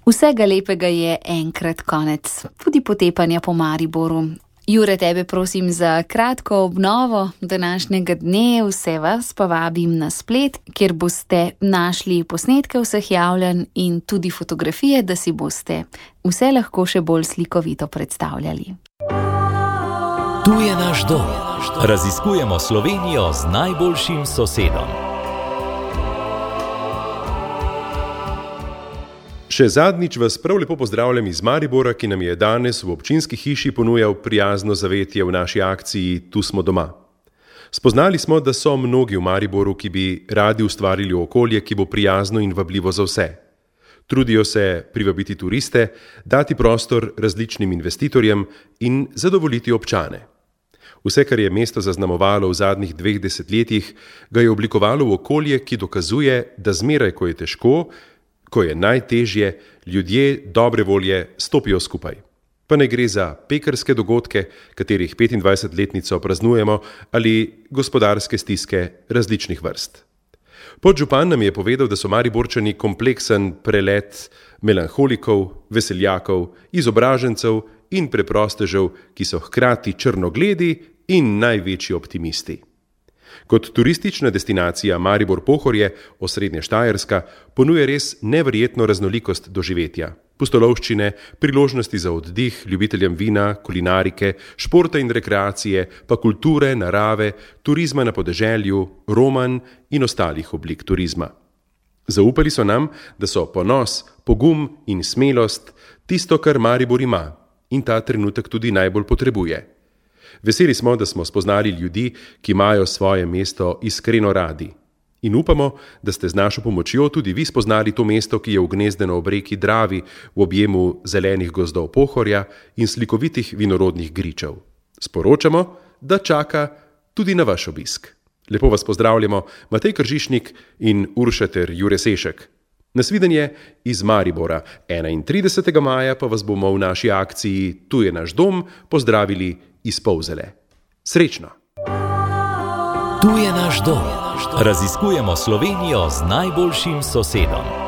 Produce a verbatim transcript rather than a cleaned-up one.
Vsega lepega je enkrat konec, tudi potepanja po Mariboru. Jure, tebe prosim za kratko obnovo današnjega dne, vse vas pa vabim na splet, kjer boste našli posnetke vseh javljanj in tudi fotografije, da si boste vse lahko še bolj slikovito predstavljali. Tu je naš dom. Raziskujemo Slovenijo z najboljšim sosedom. Še zadnjič vas prav lepo pozdravljam iz Maribora, ki nam je danes v občinski hiši ponujal prijazno zavetje v naši akciji Tu smo doma. Spoznali smo, da so mnogi v Mariboru, ki bi radi ustvarili okolje, ki bo prijazno in vabljivo za vse. Trudijo se privabiti turiste, dati prostor različnim investitorjem in zadovoljiti občane. Vse, kar je mesto zaznamovalo v zadnjih dveh desetletjih, ga je oblikovalo v okolje, ki dokazuje, da zmeraj, ko je težko, ko je najtežje, ljudje dobre volje stopijo skupaj. Pa ne gre za pekarske dogodke, katerih petindvajsetletnico praznujemo, ali gospodarske stiske različnih vrst. Podžupan nam je povedal, da so Mariborčani kompleksen prelet melanholikov, veseljakov, izobražencev in preprostežev, ki so hkrati črnogledi in največji optimisti. Kot turistična destinacija Maribor-Pohorje, osrednja Štajerska, ponuja res neverjetno raznolikost doživetja. Pustolovščine, priložnosti za oddih ljubiteljem vina, kulinarike, športa in rekreacije, pa kulture, narave, turizma na podeželju, roman in ostalih oblik turizma. Zaupali so nam, da so ponos, pogum in smelost tisto, kar Maribor ima in ta trenutek tudi najbolj potrebuje. Veseli smo, da smo spoznali ljudi, ki imajo svoje mesto iskreno radi. In upamo, da ste z našo pomočjo tudi vi spoznali to mesto, ki je ugnezdeno ob reki Dravi v objemu zelenih gozdov Pohorja in slikovitih vinorodnih gričev. Sporočamo, da čaka tudi na vaš obisk. Lepo vas pozdravljamo, Matej Kržišnik in Urša ter Jure Sešek. Nasvidenje iz Maribora. enaintridesetega maja pa vas bomo v naši akciji Tu je naš dom pozdravili iz Polzele. Srečno! Tu je naš dom. Raziskujemo Slovenijo z najboljšim sosedom.